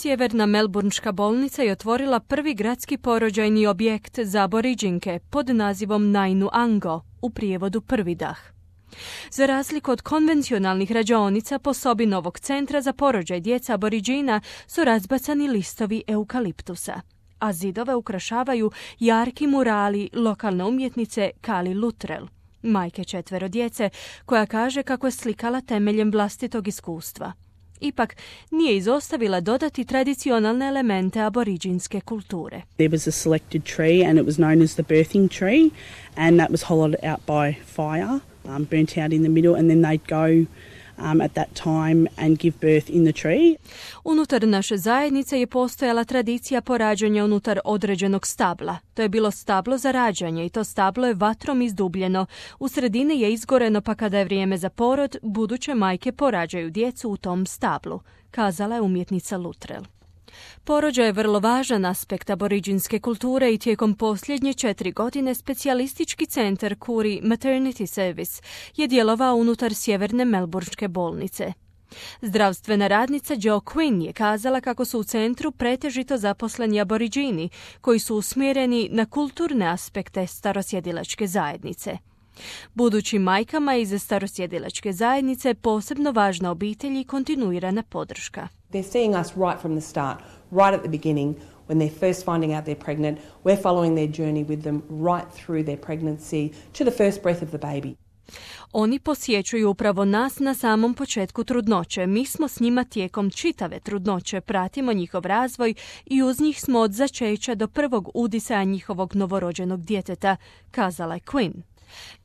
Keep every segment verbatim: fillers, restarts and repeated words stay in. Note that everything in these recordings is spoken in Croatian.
Sjeverna melburnška bolnica je otvorila prvi gradski porođajni objekt za aboriđinke pod nazivom Nainu Ango, u prijevodu prvi dah. Za razliku od konvencionalnih rađaonica, po sobi novog centra za porođaj djeca aboriđina su razbacani listovi eukaliptusa, a zidove ukrašavaju jarki murali lokalne umjetnice Kali Luttrell, majke četvero djece, koja kaže kako je slikala temeljem vlastitog iskustva. Ipak nije izostavila dodati tradicionalne elemente aboriđinske kulture. There was a selected tree and it was known as the birthing tree, and that was hollowed out by fire, um, burnt out in the middle, and then they'd go um, at that time and give birth in the tree. Unutar naše zajednice je postojala tradicija porađanja unutar određenog stabla. To je bilo stablo za rađanje i to stablo je vatrom izdubljeno. U sredini je izgoreno, pa kada je vrijeme za porod, buduće majke porađaju djecu u tom stablu, kazala je umjetnica Luttrell. Porođaj je vrlo važan aspekt aboriđinske kulture i tijekom posljednje četiri godine specijalistički centar Koori Maternity Service je djelovao unutar sjeverne melburnške bolnice. Zdravstvena radnica Jo Quinn je kazala kako su u centru pretežito zaposleni aboriđini koji su usmjereni na kulturne aspekte starosjedilačke zajednice. Budućim majkama iz starosjedilačke zajednice posebno važna obitelj i kontinuirana podrška. They're seeing us right from the start, right at the beginning, when they're first finding out they're pregnant. We're following their journey with them right through their pregnancy to the first breath of the baby. Oni posjećuju upravo nas na samom početku trudnoće. Mi smo s njima tijekom čitave trudnoće, pratimo njihov razvoj i uz njih smo od začeća do prvog udisaja njihovog novorođenog djeteta, kazala je Quinn.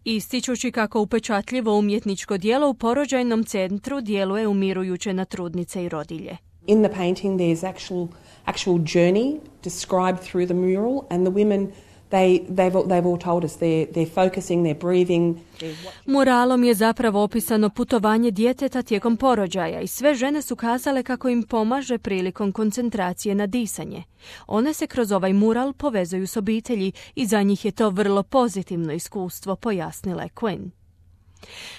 Ističući kako upečatljivo umjetničko djelo u porođajnom centru djeluje umirujuće na trudnice i rodilje. In the painting there's actual actual journey described through the mural, and the women They, they've, they've all told us they're, they're focusing, they're breathing. They're... Muralom je zapravo opisano putovanje djeteta tijekom porođaja i sve žene su kazale kako im pomaže prilikom koncentracije na disanje. One se kroz ovaj mural povezuju s obitelji i za njih je to vrlo pozitivno iskustvo, pojasnila je Quinn.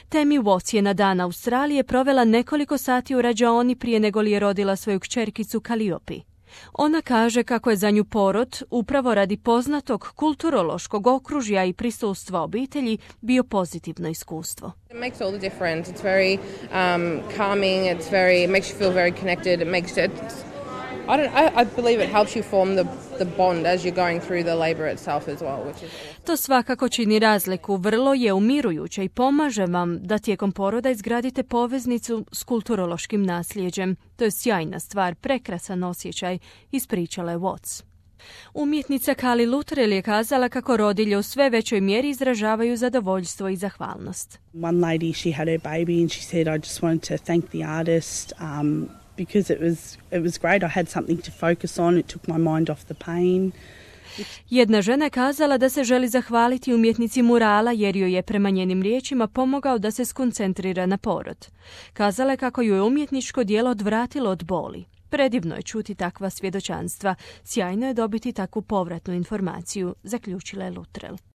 Tammy Watts je na Dan Australije provela nekoliko sati u rađaoni prije nego li je rodila svoju kćerkicu Calliope. Ona kaže kako je za nju porod, upravo radi poznatog kulturološkog okružja i prisustva obitelji, bio pozitivno iskustvo. It makes all the difference. It's very um, calming. It's very it makes you feel very connected. It makes it. I don't. I, I believe it helps you form the the bond as you're going through the labor itself as well, which is awesome. To svakako čini razliku. Vrlo je umirujuće i pomaže vam da tijekom poroda izgradite poveznicu s kulturološkim nasljeđem. To je sjajna stvar, prekrasan osjećaj, ispričala je Watts. Umjetnica Kali Luttrell je kazala kako rodilje u sve većoj mjeri izražavaju zadovoljstvo i zahvalnost. One lady, she had her baby and she said, I just wanted to thank the artist um, because it was it was great. I had something to focus on. It took my mind off the pain. Jedna žena je kazala da se želi zahvaliti umjetnici murala jer joj je prema njenim riječima pomogao da se skoncentrira na porod. Kazala je kako ju je umjetničko djelo odvratilo od boli. Predivno je čuti takva svjedočanstva. Sjajno je dobiti takvu povratnu informaciju, zaključila je Luttrell.